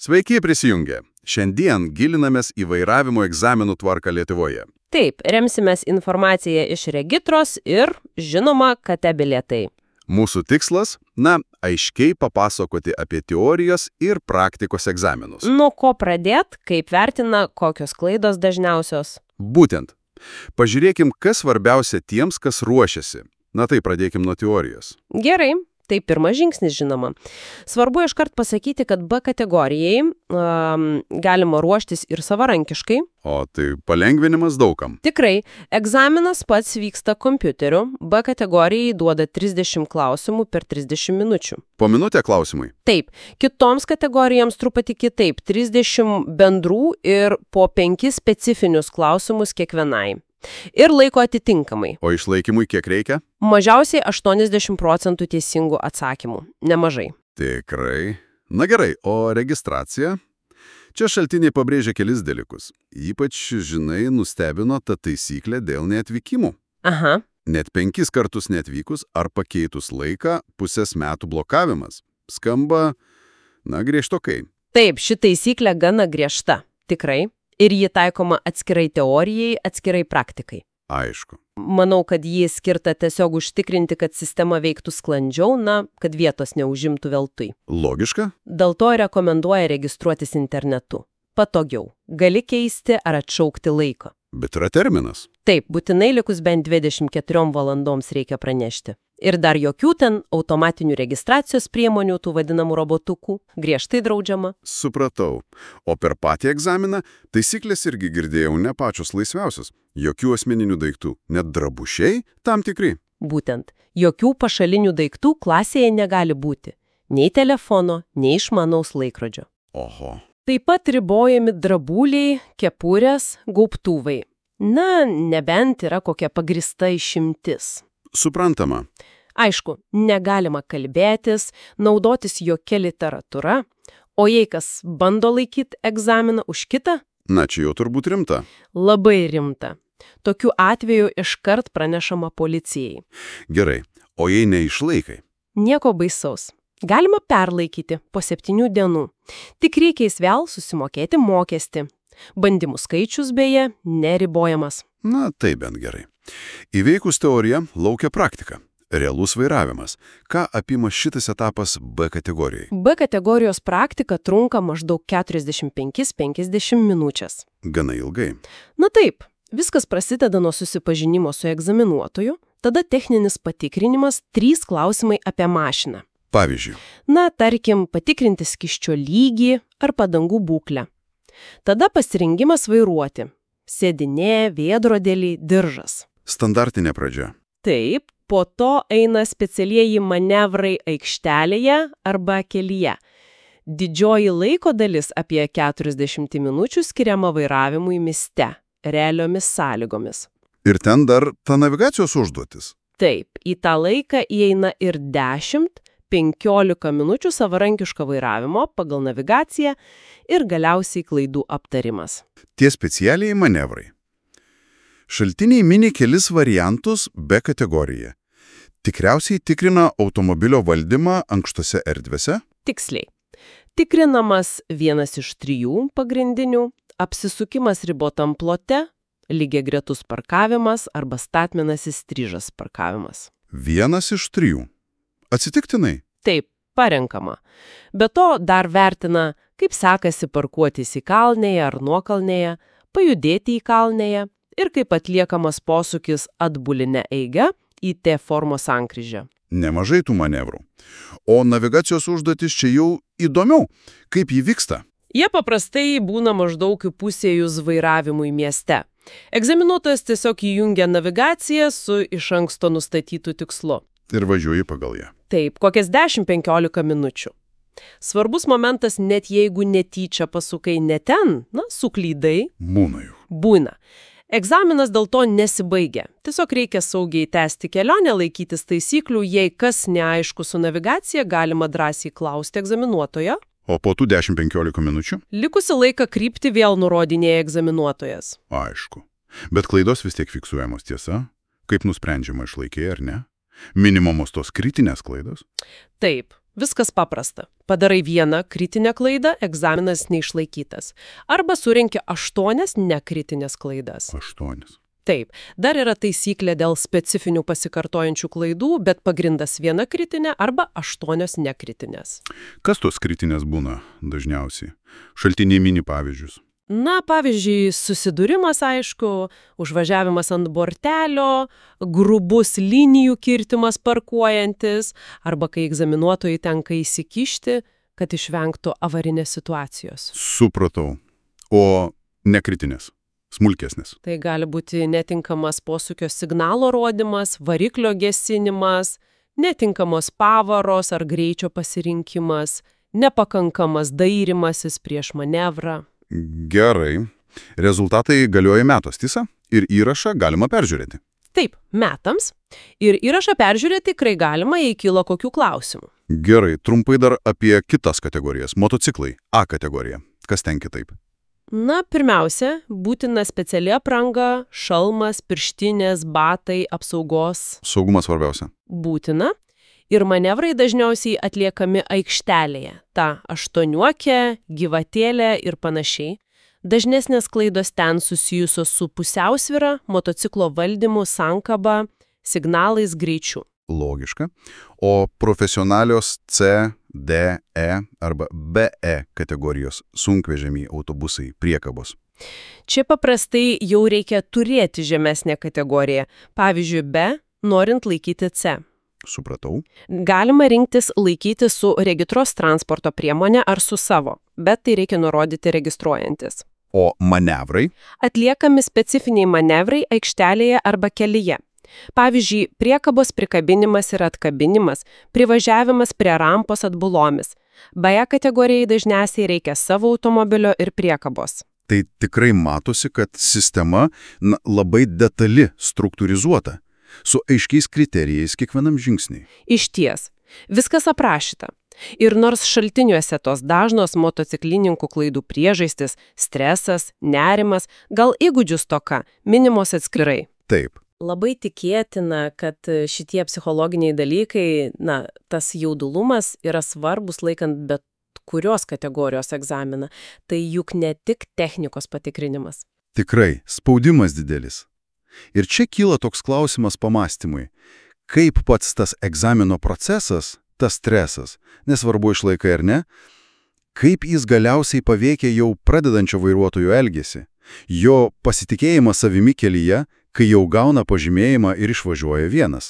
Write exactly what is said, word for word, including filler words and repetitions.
Sveiki prisijungę. Šiandien gilinamės į vairavimo egzaminų tvarką Lietuvoje. Taip, remsimės informaciją iš regitros ir, žinoma, kate bilietai. Mūsų tikslas – na, aiškiai papasakoti apie teorijos ir praktikos egzaminus. Nuo ko pradėt, kaip vertina, kokios klaidos dažniausios? Būtent. Pažiūrėkim, kas svarbiausia tiems, kas ruošiasi. Na tai pradėkim nuo teorijos. Gerai. Tai pirmas žingsnis, žinoma. Svarbu iškart pasakyti, kad B kategorijai um, galima ruoštis ir savarankiškai. O tai palengvinimas daugam. Tikrai, egzaminas pats vyksta kompiuteriu. B kategorijai duoda trisdešimt klausimų per trisdešimt minučių. Po minutę klausimai? Taip. Kitoms kategorijoms truputį kitaip. trisdešimt bendrų ir po penkis specifinius klausimus kiekvienai. Ir laiko atitinkamai. O išlaikymui kiek reikia? Mažiausiai aštuoniasdešimt procentų teisingų atsakymų. Nemažai. Tikrai. Na gerai, o registracija? Čia šaltiniai pabrėžia kelis dalykus. Ypač, žinai, nustebino ta taisyklė dėl neatvykimų. Aha. Net penkis kartus neatvykus ar pakeitus laiką pusės metų blokavimas. Skamba, na, griežtokai. Taip, ši taisyklė gana griežta. Tikrai. Ir ji taikoma atskirai teorijai, atskirai praktikai. Aišku. Manau, kad ji skirta tiesiog užtikrinti, kad sistema veiktų sklandžiau, na, kad vietos neužimtų veltui. Logiška? Dėl to rekomenduoja registruotis internetu. Patogiau. Gali keisti ar atšaukti laiko. Bet yra terminas. Taip, būtinai likus bent dvidešimt keturiom valandoms reikia pranešti. Ir dar jokių ten automatinių registracijos priemonių, tų vadinamų robotukų, griežtai draudžiama. Supratau. O per patį egzaminą taisyklės irgi girdėjau ne pačios laisviausios. Jokių asmeninių daiktų, net drabušiai tam tikri. Būtent. Jokių pašalinių daiktų klasėje negali būti. Nei telefono, nei išmanaus laikrodžio. Oho. Taip pat ribojami drabuliai, kepurės, gaubtuvai. Na, nebent yra kokia pagrįsta išimtis. Suprantama. Aišku, negalima kalbėtis, naudotis jokia literatūra, o jei kas bando laikyti egzaminą už kitą? Na, čia jau turbūt rimta. Labai rimta. Tokiu atveju iškart pranešama policijai. Gerai, o jei neišlaikai? Nieko baisaus. Galima perlaikyti po septynių dienų. Tik reikės vėl susimokėti mokestį. Bandymų skaičius, beje, neribojamas. Na, tai bent gerai. Įveikus teoriją laukia praktika. Realus vairavimas. Ką apima šitas etapas B kategorijai? B kategorijos praktika trunka maždaug keturiasdešimt penkias iki penkiasdešimt minučias. Gana ilgai. Na taip, viskas prasideda nuo susipažinimo su egzaminuotoju, tada techninis patikrinimas, trys klausimai apie mašiną. Pavyzdžiui. Na, tarkim, patikrinti skysčio lygį ar padangų būklę. Tada pasirengimas vairuoti. Sėdinė, vėdrodėlį, diržas. Standartinė pradžia. Taip, po to eina specialieji manevrai aikštelėje arba kelyje. Didžioji laiko dalis apie keturiasdešimt minučių skiriama vairavimui mieste, realiomis sąlygomis. Ir ten dar ta navigacijos užduotis. Taip, į tą laiką įeina ir dešimt, penkiolika minučių savarankiško vairavimo pagal navigaciją ir galiausiai klaidų aptarimas. Tie specialiai manevrai. Šaltiniai mini kelis variantus B kategorijoje. Tikriausiai tikrina automobilio valdymą ankštose erdvėse? Tiksliai. Tikrinamas vienas iš trijų pagrindinių, apsisukimas ribotam plote, lygiagretus parkavimas arba statmenasis stryžas parkavimas. Vienas iš trijų. Atsitiktinai? Taip, parenkama. Be to dar vertina, kaip sekasi parkuotis į kalnėje ar nuokalnėje, pajudėti į kalnėje ir kaip atliekamas posūkis atbuline eiga į T formos sankryžę. Nemažai tų manevrų. O navigacijos užduotis čia jau įdomiau. Kaip jį vyksta? Jie paprastai būna maždaug įpusėjus vairavimui mieste. Egzaminuotojas tiesiog įjungia navigaciją su iš anksto nustatytu tikslu. Ir važiuoji pagal ją. Taip, kokias dešimt penkiolika minučių. Svarbus momentas, net jeigu netyčia pasukai ne ten, na, suklydai. Būna jau. Būna. Egzaminas dėl to nesibaigia. Tiesiog reikia saugiai tęsti kelionę, laikytis taisyklių, jei kas neaišku su navigacija, galima drąsiai klausti egzaminuotojo. O po tų dešimt penkiolika minučių? Likusi laiką kryptį vėl nurodinėja egzaminuotojas. Aišku. Bet klaidos vis tiek fiksuojamos, tiesa? Kaip nusprendžiama, išlaikė ar ne? Minimumos tos kritinės klaidos? Taip. Viskas paprasta. Padarai vieną kritinę klaidą, egzaminas neišlaikytas. Arba surenki aštuonias nekritinės klaidas. Aštuonis. Taip, dar yra taisyklė dėl specifinių pasikartojančių klaidų, bet pagrindas viena kritinė arba aštuonios nekritinės. Kas tos kritinės būna dažniausiai? Šaltiniai mini pavyzdžius. Na, pavyzdžiui, susidūrimas, aišku, užvažiavimas ant bortelio, grubus linijų kirtimas parkuojantis, arba kai egzaminuotojai tenka įsikišti, kad išvengtų avarinės situacijos. Supratau. O nekritinės? Smulkesnės. Tai gali būti netinkamas posūkio signalo rodymas, variklio gesinimas, netinkamos pavaros ar greičio pasirinkimas, nepakankamas dairimasis prieš manevrą. Gerai. Rezultatai galioja metos, tiesa? Ir įrašą galima peržiūrėti. Taip, metams. Ir įrašą peržiūrėti tikrai galima, jei kilo kokių klausimų. Gerai, trumpai dar apie kitas kategorijas. Motociklai. A kategorija. Kas ten kitaip? Na, pirmiausia, būtina speciali apranga, šalmas, pirštinės, batai, apsaugos. Saugumas svarbiausia. Būtina. Ir manevrai dažniausiai atliekami aikštelėje. Ta aštuoniuokė, gyvatėlė ir panašiai. Dažnesnės klaidos ten susijusios su pusiausvyra, motociklo valdymu, sankaba, signalais, greičiu. Logiška. O profesionalios C, D, E arba B E kategorijos sunkvežimiai, autobusai, priekabos. Čia paprastai jau reikia turėti žemesnę kategoriją. Pavyzdžiui, B, norint laikyti C. Supratau. Galima rinktis laikyti su regitros transporto priemonė ar su savo, bet tai reikia nurodyti registruojantis. O manevrai? Atliekami specifiniai manevrai aikštelėje arba kelyje. Pavyzdžiui, priekabos prikabinimas ir atkabinimas, privažiavimas prie rampos atbulomis. Beje, kategorijai dažniausiai reikia savo automobilio ir priekabos. Tai tikrai matosi, kad sistema na, labai detali, struktūrizuota, su aiškiais kriterijais kiekvienam žingsniui. Išties, viskas aprašyta. Ir nors šaltiniuose tos dažnos motociklininkų klaidų priežastis, stresas, nerimas, gal įgūdžių stoka, minimos atskirai. Taip. Labai tikėtina, kad šitie psichologiniai dalykai, na, tas jaudulumas yra svarbus laikant bet kurios kategorijos egzaminą. Tai juk ne tik technikos patikrinimas. Tikrai, spaudimas didelis. Ir čia kyla toks klausimas pamastymui. Kaip pats tas egzamino procesas, tas stresas, nesvarbu išlaikai ar ne, kaip jis galiausiai paveikia jau pradedančio vairuotojo elgesį, jo pasitikėjimą savimi kelyje, kai jau gauna pažymėjimą ir išvažiuoja vienas.